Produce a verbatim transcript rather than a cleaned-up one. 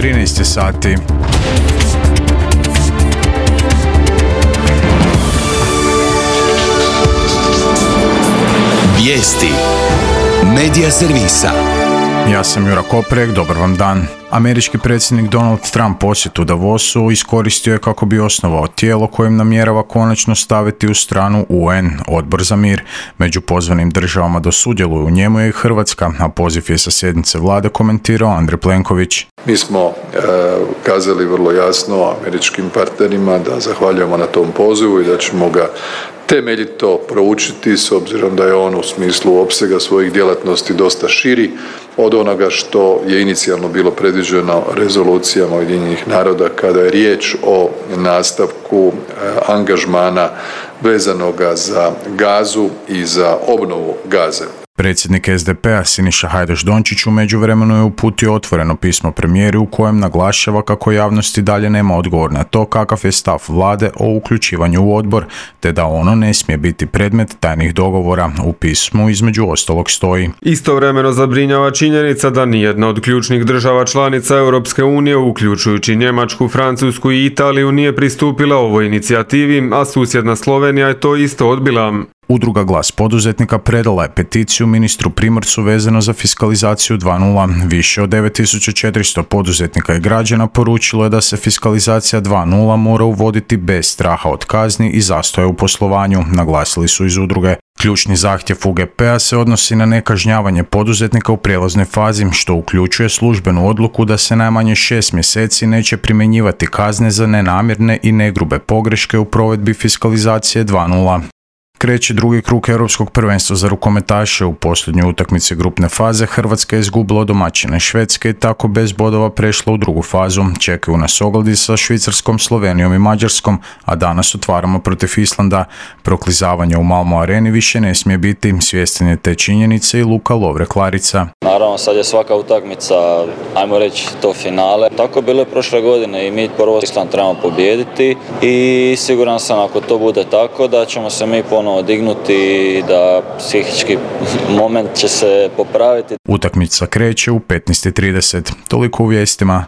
trinaest je sati. Vijesti Medija servisa. Ja sam Jura Koprek, dobar vam dan. Američki predsjednik Donald Trump posjetu Davosu iskoristio je kako bi osnovao tijelo kojim namjerava konačno staviti u stranu U N, Odbor za mir. Među pozvanim državama da sudjeluju u njemu je i Hrvatska, a poziv je sa sjednice vlade komentirao Andrej Plenković. Mi smo e, kazali vrlo jasno američkim partnerima da zahvaljujemo na tom pozivu i da ćemo ga temeljito proučiti s obzirom da je on u smislu opsega svojih djelatnosti dosta širi od onoga što je inicijalno bilo predviđeno rezolucijama Ujedinjenih naroda kada je riječ o nastavku angažmana vezanoga za Gazu i za obnovu Gaze. Predsjednik S D P-a Siniša Hajdaš-Dončić u međuvremenu je uputio otvoreno pismo premijeri u kojem naglašava kako javnosti dalje nema odgovor na to kakav je stav vlade o uključivanju u odbor, te da ono ne smije biti predmet tajnih dogovora. U pismu između ostalog stoji: Istovremeno zabrinjava činjenica da nijedna od ključnih država članica Europske unije, uključujući Njemačku, Francusku i Italiju, nije pristupila ovoj inicijativi, a susjedna Slovenija je to isto odbila. Udruga Glas poduzetnika predala je peticiju ministru Primorcu vezano za fiskalizaciju dva nula. Više od devet tisuća četiristo poduzetnika i građana poručilo je da se fiskalizacija dva nula mora uvoditi bez straha od kazni i zastoja u poslovanju, naglasili su iz udruge. Ključni zahtjev U G P-a se odnosi na nekažnjavanje poduzetnika u prijelaznoj fazi, što uključuje službenu odluku da se najmanje šest mjeseci neće primjenjivati kazne za nenamjerne i negrube pogreške u provedbi fiskalizacije dva nula. Kreće drugi krug Europskog prvenstva za rukometaše. U posljednjoj utakmici grupne faze Hrvatska je izgubila od domaćine Švedske i tako bez bodova prešla u drugu fazu. Čekaju nas ogledi sa Švicarskom, Slovenijom i Mađarskom, a danas otvaramo protiv Islanda. Proklizavanje u Malmo areni više ne smije biti, svjestan je te činjenice i Luka Lovre-Klarica. Naravno, sad je svaka utakmica, ajmo reći, to finale. Tako je bilo prošle godine i mi prvo Island trebamo pobijediti i siguran sam ako to bude tako da ćemo se mi ponovno odignuti i da psihički moment će se popraviti. Utakmica kreće u petnaest i trideset. Toliko u vijestima.